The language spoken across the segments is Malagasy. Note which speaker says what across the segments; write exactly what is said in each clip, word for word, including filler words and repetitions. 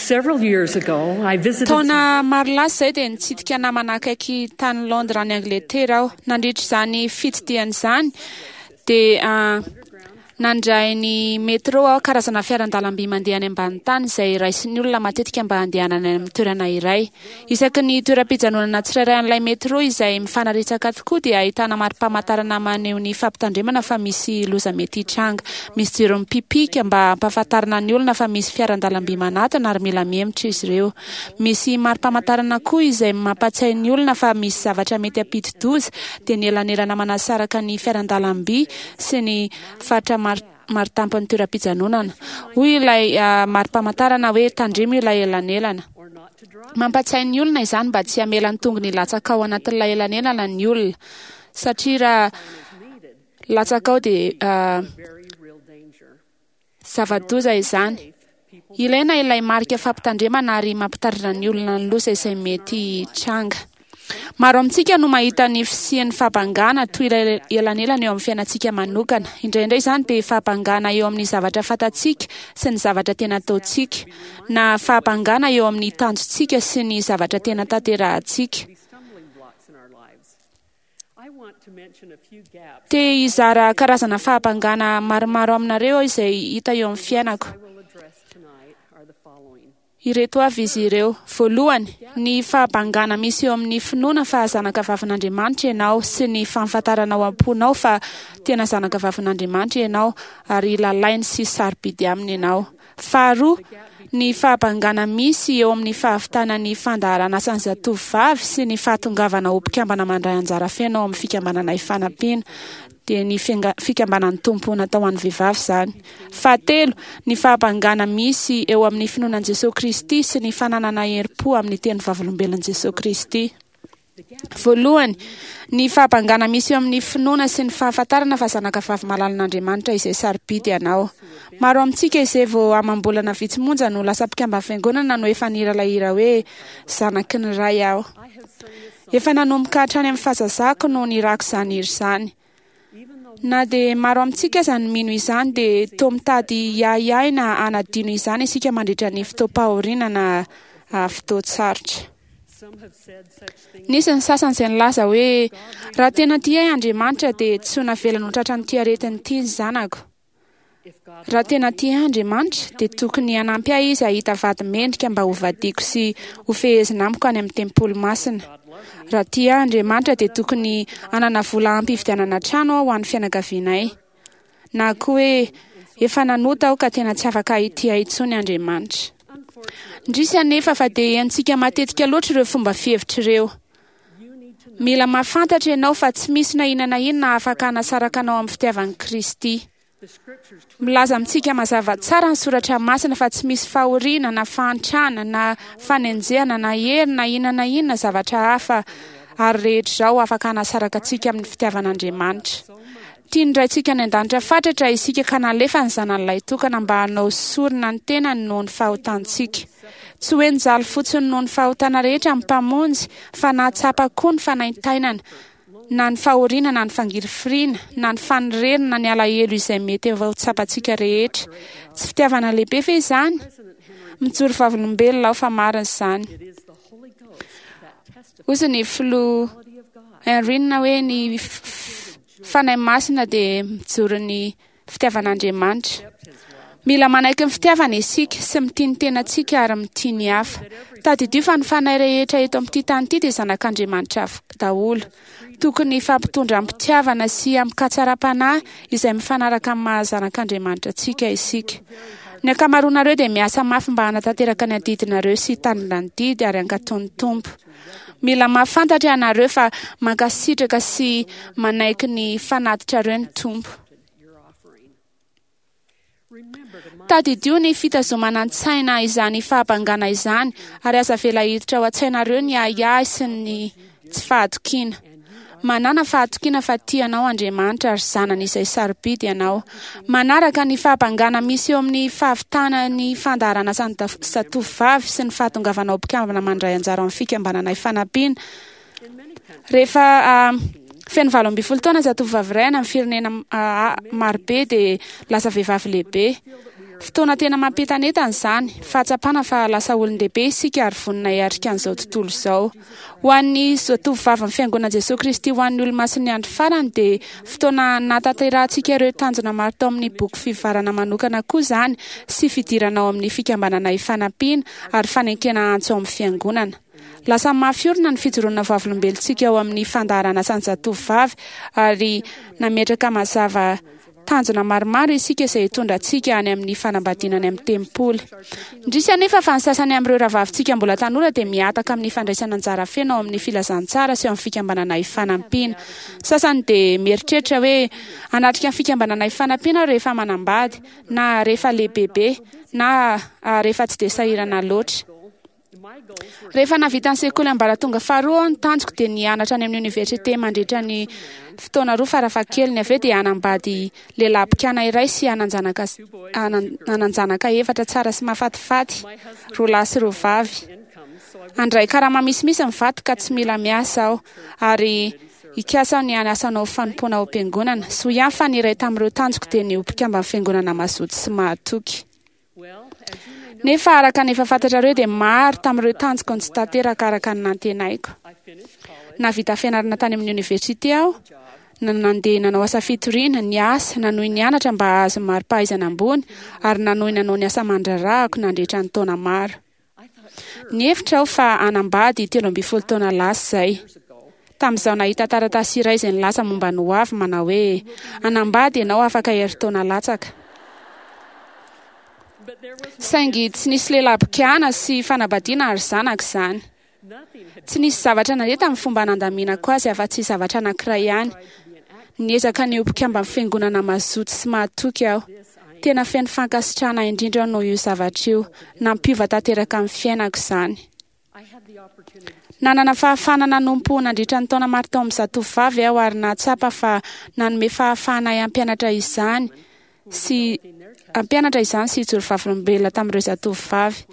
Speaker 1: Several years ago, I visited
Speaker 2: Taona maro lasa izay dia nitsidika namana akaiky tany Londres any Angletera aho. Nandritra izany fitsidihana izany dia nandray ny métro aho, karazana fiaran-dalamby mandeha any ambany tany izay raisin'ny olona matetika mba handehanana any amin'ny toerana iray. Isaky ny toeram-pijanonana tsirairay an'ilay métro izay mifanaretsaka tokoa dia ahitana mari-pamantarana maneho ny fampitandremana fa misy loza mety hitranga. Misy jiro mipipika mba hampahafantarana ny olona fa misy fiaran-dalamby manatona ary mila mihemotra izy ireo. Misy mari-pamantarana koa izay mampatsiahy ny olona fa misy zavatra mety hampidi-doza, dia ny elanelana manasaraka ny fiaran-dalamby sy ny faritra maritampon'ny toeram-pijanonana. Hoy ilay mari-pamantarana hoe tandremo ilay elanelana. Mampatsiahy ny olona izany mba tsy hamela ny tongony hilatsaka ao anatin'ilay elanelana ny olona, satria raha latsaka ao dia zava-doza izany. Ilaina ilay marika fampitandremana ary mampitandrina ny olona ny loza izay mety hitranga. Maro amintsika no mahita ny fisian'ny fahabangana toy ilay elanelana eo amin'ny fiainantsika manokana. Indraindray izany dia fahabangana eo amin'ny zavatra fantatsika sy ny zavatra tena ataontsika, na fahabangana eo amin'ny tanjontsika sy ny zavatra tena tanterahantsika. Te hizara karazana fahabangana maromaro aminareo aho izay hita eo amin'ny fiainako. Ireto avy izy ireo. Voalohany, ny fahabangana misy eo amin'ny finoana fa zanaka vavin'Andriamanitra ianao sy ny fahafantaranao am-ponao fa tena zanaka vavin'Andriamanitra ianao ary lalainy sy sarobidy aminy ianao. Faharoa, ny fahabangana misy eo amin'ny fahavitana ny fandaharan'asan'ny zatovovavy sy ny fahatongavana ho mpikambana mandray anjara feno ao amin'ny fikambanana Ifanampiana, dia ny fikambanan'ny Tompo natao ho an'ny vehivavy izany. Fahatelo, ny fahabangana misy eo amin'ny finoana an'i Jesoa Kristy sy ny fananana herim-po amin'ny teny vavolombelon'i Jesoa Kristy. Voalohany, ny fahabangana misy eo amin'ny finoana sy ny fahafantarana fa zanaka vavy malalan'Andriamanitra izay sarobidy ianao. Maro amintsika izay vao amam-bolana vitsy monja no lasa mpikamban'ny fiangonana no efa nihira ilay hira hoe Zanaky ny Ray aho. Efa nanomboka hatrany amin'ny fahazazako no nirako izany hira izany. Na dia maro amintsika aza no mino izany dia toa mitady hiahiahy na hanadino izany isika mandritra ny fotoam-pahoriana na fotoan-tsarotra. Nisy ny sasany izay nilaza hoe, Raha tena tia ahy Andriamanitra dia tsy ho navelany ho tratran'ity aretina ity ny zanako. Raha tena tia ahy Andriamanitra dia tokony hanampy ahy Izy hahita vady mendrika mba hovadiako sy hofehezina amiko any amin'ny tempoly masina. Raha tia ahy Andriamanitra dia tokony hanana vola ampy hividianana trano aho ho an'ny fianakavianay. Na koa hoe, Efa nanota aho ka tena tsy afaka hitia ahy intsony Andriamanitra. Indrisy anefa fa dia henontsika matetika loatra ireo fomba fihevitra ireo. Mila mahafantatra ianao fa tsy misy na inona na inona afaka hanasaraka anao amin'ny fitiavan'i Kristy. Milaza amintsika mazava tsara ny Soratra Masina fa tsy misy fahoriana na fahantrana na fanenjehana na hery na inona na inona zavatra hafa ary rehetra izao afaka hanasaraka antsika amin'ny fitiavan'Andriamanitra. Tian'ny Raintsika any an-danitra fatratra isika ka nalefa ny Zanany Lahitokana mba hanao sorona ny tenany noho ny fahotantsika. Tsy hoe nijaly fotsiny noho ny fahotana rehetra ny Mpamonjy fa nahatsapa koa ny fanaintainana, na ny fahoriana na ny fangirifiriana, na ny fanerena na ny alahelo izay mety efa ho tsapantsika rehetra. Tsy fitiavana lehibe ve izany? Mijoro vavolombelona aho fa marina izany. Hoy ny filoha Henry hoe ny Fanahy Masina dia mijoro ny fitiavan'Andriamanitra. Mila manaiky ny fitiavana isika sy mitia ny tenantsika ary mitia ny hafa. Tadidio fa ny fanahy rehetra eto amin'ity tany ity dia zanak'Andriamanitra daholo. Tokony hifampitondra amim-pitiavana sy amin-katsaram-panahy izay mifanaraka amin'ny maha zanak'Andriamanitra antsika isika. Ny ankamaroanareo dia miasa mafy mba hanatanteraka ny adidinareo sy hitandrina ny didy ary hankatò ny Tompo. Mila mahafantatra ianareo fa mankasitraka sy manaiky ny fanatitrareo ny Tompo. Tadidio ny fitazomana an-tsaina izany fahabangana izany ary aza avela hiditra ao an-tsainareo ny ahiahy sy ny tsy fahatokiana. Manàna fahatokiana fa tia anao Andriamanitra ary zanany izay sarobidy ianao. Manaraka ny fahabangana misy eo amin'ny fahavitana ny fandaharan'asan'ny zatovovavy sy ny fahatongavana ho mpikambana mandray anjara ao amin'ny fikambanana Ifanampiana. Rehefa feno valo ambin'ny folo taona zatovovavy iray any amin'ny firenena marobe dia lasa vehivavy lehibe. Fotoana tena mampientanentana izany, fahatsapana fa lasa olon-dehibe isika ary vonona hiatrika an'izao tontolo izao. Ho an'ny zatovovavin'ny Fiangonan'i Jesoa Kristy ho an'ny Olomasin'ny Andro Farany dia fotoana nahatanterahantsika ireo tanjona maro tao amin'ny boky fivoarana manokana koa izany sy fidirana ao amin'ny fikambanana ifanampiana ary fanenkena antso ao amin'ny Fiangonana. Lasa mafy orina ny fijoroana vavolombelontsika ao amin'ny fandaharan'asan'ny zatovovavy ary nametraka mazava tanjona maromaro isika izay hitondra antsika any amin'ny fanambadiana any amin'ny tempoly. Indrisy anefa fa ny sasany amin'ireo rahavavintsika mbola tanora dia mihataka amin'ny fandraisana anjara feno ao amin'ny filazantsara sy ao amin'ny fikambanana ifanampiana. Sasany dia mieritreritra hoe hanatrika ny fikambanana ifanampiana aho rehefa manambady, na rehefa lehibebe, na rehefa tsy dia sahirana loatra. Rehefa nahavita ny sekoly ambaratonga faharoa aho, ny tanjoko dia nianatra any amin'ny oniversite mandritra ny fotoana roa farafahakeliny. Avy eo dia hanambady lehilahy mpikana iray sy hanan-janaka hanan-janaka efatra tsara sy mahafatifaty, roa lahy sy roa vavy. Handray karama misimisy ny vadiko ka tsy mila miasa aho, ary hikasa aho ny hanasa hanao fanompoana ao am-piangonana. Soa ihany fa ny iray tamin'ireo tanjoko dia ny ho mpikamban'ny fiangonana mazoto sy mahatoky. Nefa araka ny efa fantatrareo dia maro tamin'ireo tanjoko no tsy tanteraka araka ny nantenaiko. Nahavita fianarana tany amin'ny oniversite aho, na nandeha nanao asa fitoriana, niasa, nanohy nianatra mba hahazo mari-pahaizana ambony, ary nanohy nanao ny asa aman-draharahako nandritra ny taona maro. Nihevitra aho fa hanambady telo ambin'ny folo taona lasa izay. Tamin'izaho nahita taratasy iray izay nilaza momba ny hoavy manao hoe, Hanambady ianao afaka herintaona latsaka. Saingy tsy nisy lehilahy mpikana sy fanambadiana ary zanaka izany. Tsy nisy zavatra nandeha tamin'ny fomba nandaminako azy afa-tsy zavatra anankiray ihany. Niezaka ny ho mpikamban'ny fiangonana mazoto sy mahatoky aho. Tena feno fankasitrahana indrindra aho noho io zavatra io. Nampiova tanteraka ny fiainako izany. Nanana fahafahana nanompo nandritra ny taona maro tao amin'ny zatovovavy aho ary nahatsapa fa nanome fahafahana ahy hampianatra izany sy hampianatra izany sy hijoro vavolombelona tamin'ireo zatovovavy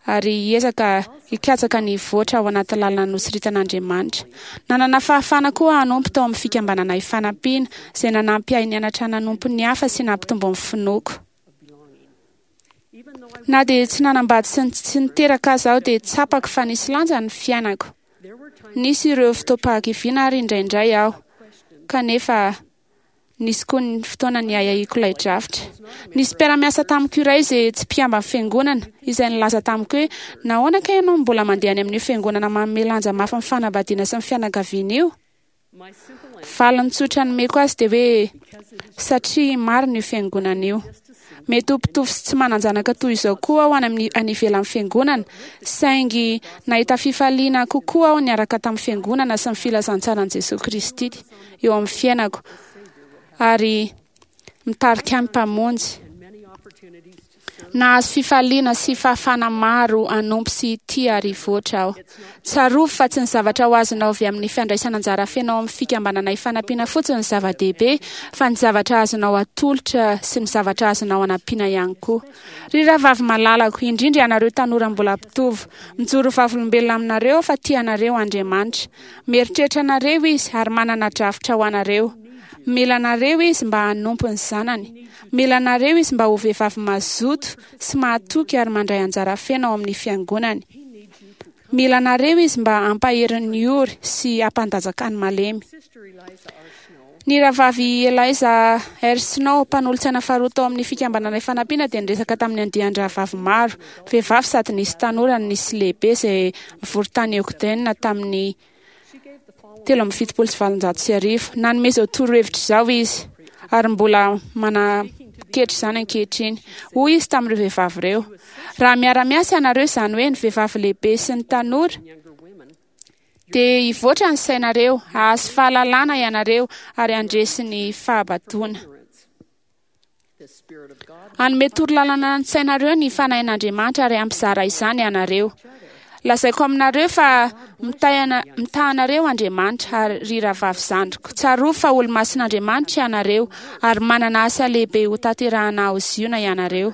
Speaker 2: ary hiezaka hikatsaka ny hivoatra ao anaty lalana nosoritan'Andriamanitra. Nanana fahafahana koa hanompo tao amin'ny fikambanana ifanampiana izay nanampy ahy nianatra nanompo ny hafa sy nampitombo ny finoako. Na dia tsy nanambady sy tsy niteraka aza aho dia tsapako fa nisy lanja ny fiainako. Nisy ireo fotoam-pahakiviana ary indraindray aho, kanefa nisy koa ny fotoana niahiahiako ilay drafitra. Nisy mpiara-miasa tamiko iray izay tsy mpikamban'ny fiangonana, izay nilaza tamiko hoe, Nahoana kay ianao no mbola mandeha any amin'io fiangonana manome lanja mafy ny fanambadiana sy ny fianakaviana io? Valiny tsotra nomeko azy dia hoe, Satria marina io fiangonana io. Mety ho mpitovo sy tsy manan-janaka toy izao koa aho any amin'ny any ivelan'ny fiangonana, saingy nahita fifaliana kokoa aho niaraka tamin'ny fiangonana sy ny filazantsaran'i Jesoa Kristy eo amin'ny fiainako ary mitarika ahy ny Mpamonjy. Nahazo fifaliana sy fahafahana maro hanompo sy hitia ary hivoatra aho. Tsarovy fa tsy ny zavatra ho azonao avy amin'ny fandraisana anjara feno ao amin'ny fikambanana ifanampiana fotsiny no zava-dehibe, fa ny zavatra azonao atolotra sy ny zavatra azonao anampiana ihany koa. Ry rahavavy malalako, indrindra ianareo tanora mbola mpitovo, mijoro ho vavolombelona aminareo aho fa tia anareo Andriamanitra. Mieritreritra anareo Izy ary manana drafitra ho anareo. Mila anareo Izy mba hanompo ny zanany. Mila anareo Izy mba ho vehivavy mazoto sy mahatoky ary mandray anjara feno ao amin'ny Fiangonany. Mila anareo Izy mba hampahery ny ory sy hampandanjaka ny malemy. Ny rahavavy Eliza R. Snow, mpanolotsaina faharoa tao amin'ny Fikambanana Ifanampiana, dia niresaka tamin'ny andian-drahavavy maro, vehivavy sady nisy tanora no nisy lehibe, izay nivory tany Ogden tamin'ny telo amby fitopolo sy valonjato sy arivo. Nanome izao torohevitra izao izy, ary mbola manaketry izany ankehitriny. Hoy izy tamin'ireo vehivavy ireo, Raha miara-miasa ianareo, izany hoe ny vehivavy lehibe sy ny tanora, dia hivoatra ny sainareo, hahazo fahalalana ianareo, ary handresy ny fahabadoana. Hanome torolalana ny sainareo ny Fanahin'Andriamanitra ary hampizara izany ianareo. Lazaiko aminareo fa mitaha anareo Andriamanitra, ary ry rahavavy zandriko, tsarovy fa olo-masin'Andriamanitra ianareo, ary manana asa lehibe hotanterahana ao Ziona ianareo.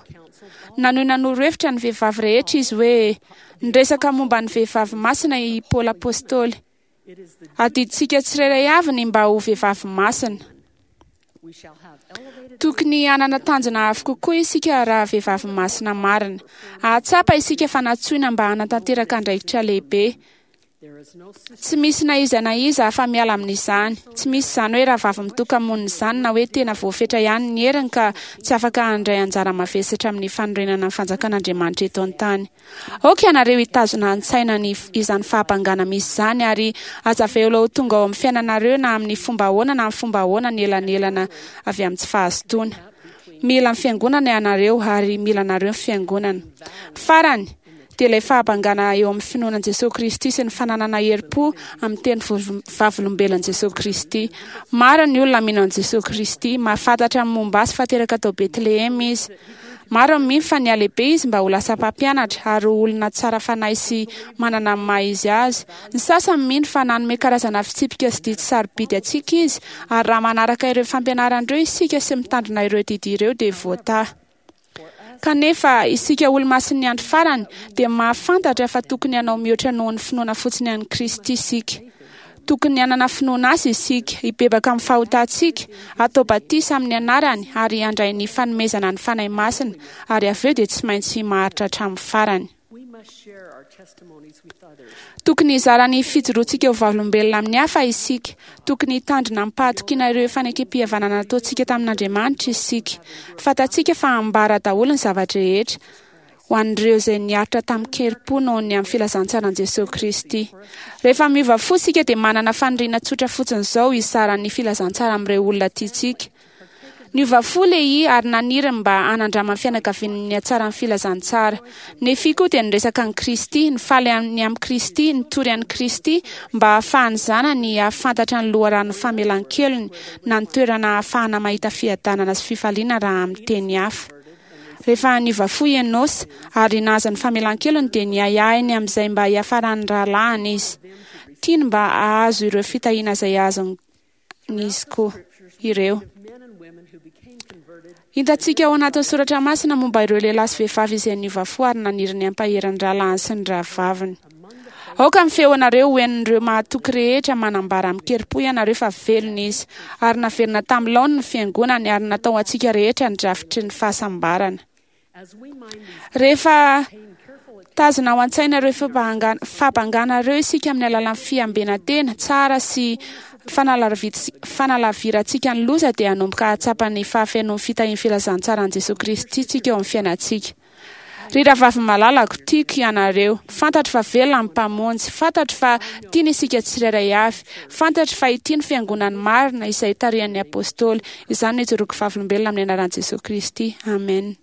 Speaker 2: Nanohy nanoro hevitra ny vehivavy rehetra izy hoe, Niresaka momba ny vehivavy masina i Paoly Apostoly. Adidintsika tsirairay avy ny mba ho vehivavy masina. Tokony hanana tanjona avo kokoa isika raha vehivavy masina marina. Hahatsapa isika fa nantsoina mba hanatanteraka andraikitra lehibe. Tsy misy na iza na iza afa-miala amin'izany. Tsy misy izany hoe rahavavy mitoka-monina izany na hoe tena voafetra ihany ny heriny ka tsy afaka handray anjara mavesatra amin'ny fanorenana ny fanjakan'Andriamanitra eto an-tany. Aoka ianareo hitazona an-tsaina ny izany fahabangana misy izany ary aza avela ho tonga ao amin'ny fiainanareo na amin'ny fomba ahoana na amin'ny fomba ahoana ny elanelana avy amin'ny tsy fahazotoana. Mila ny fiangonana ianareo ary mila anareo ny fiangonana. Farany, dia ilay fahabangana eo amin'ny finoana an'i Jesoa Kristy sy ny fananana herim-po amin'ny teny vavolombelon'i Jesoa Kristy. Maro ny olona mino an'i Jesoa Kristy, mahafantatra ny momba azy fa teraka tao Betlehema izy. Maro ny mino fa nihalehibe izy mba ho lasa mpampianatra ary ho olona tsara fanahy sy manana ny maha izy azy. Ny sasany mino fa nanome karazana fitsipika sy didy sarobidy antsika izy, ary raha manaraka ireo fampianarana ireo isika sy mitandrina ireo didy ireo dia voatahy. Kanefa isika olomasin'ny andro farany dia mahafantatra fa tokony hanao mihoatra noho ny finoana fotsiny an'i Kristy isika. Tokony hanana finoana azy isika, hibebaka amin'ny fahotantsika, hatao batisa amin'ny anarany ary handray ny fanomezana ny Fanahy Masina, ary avy eo dia tsy maintsy maharitra hatramin'ny farany. Tokony hizara ny fijoroantsika ho vavolombelona amin'ny hafa isika. Tokony hitandrina amim-pahatokiana ireo fanekem-pihavanana nataontsika tamin'Andriamanitra isika. Fantatsika fa ambara daholo ny zava-drehetra ho an'ireo izay niaritra tamin-kerim-po noho ny amin'ny filazantsaran'i Jesoa Kristy. Rehefa miova fo isika dia manana faniriana tsotra fotsiny izao hizara ny filazantsara amin'ireo olona tiantsika. Niova fo Lehi ary naniry ny mba hanandraman'ny fianakaviany ny hatsaran'ny filazantsara. Nefia koa dia niresaka an'i Kristy, nifaly ny amin'i Kristy, nitory an'i Kristy mba hahafahan'ny zanany hahafantatra ny loharanon'ny famelan-kelony na ny toerana ahafahana mahita fiadanana sy fifaliana raha amin'ny teny hafa. Rehefa niova fo i Enôsa ary nahazo ny famelan-kelony dia niahiahy ny amin'izay mba hiafaran'ny rahalahiny izy. Tiany mba hahazo ireo fitahiana izay azon'izy koa ireo. Hitantsika ao anatin'ny soratra masina momba ireo lehilahy sy vehivavy izay niova fo ary naniry ny hampahery ny rahalahiny sy ny rahavaviny. Aoka ny feonareo ho henon'ireo mahatoky rehetra manambara amin-kerim-po ianareo fa velona izy, ary naverina tamin'ny laoniny ny fiangonany ary natao ho antsika rehetra ny drafitry ny fahasambarana. Rehefa tazona ao an-tsaina ireo fahabangana ireo isika amin'ny alalan'ny fiambenan-tena tsara sy fanalavirantsika ny loza dia hanomboka hahatsapa ny fahafenoan'ny fitahian'ny filazantsaran'i Jesoa Kristy tsika eo amin'ny fiainantsika. Ry rahavavy malalako, tiako ianareo. Fantatro fa velona ny Mpamonjy. Fantatro fa tiany isika tsirairay avy. Fantatro fa ity ny fiangonany marina izay tarihan'ny Apôstôly. Izany no ijoroako vavolombelona amin'ny anaran'i Jesoa Kristy. Amen.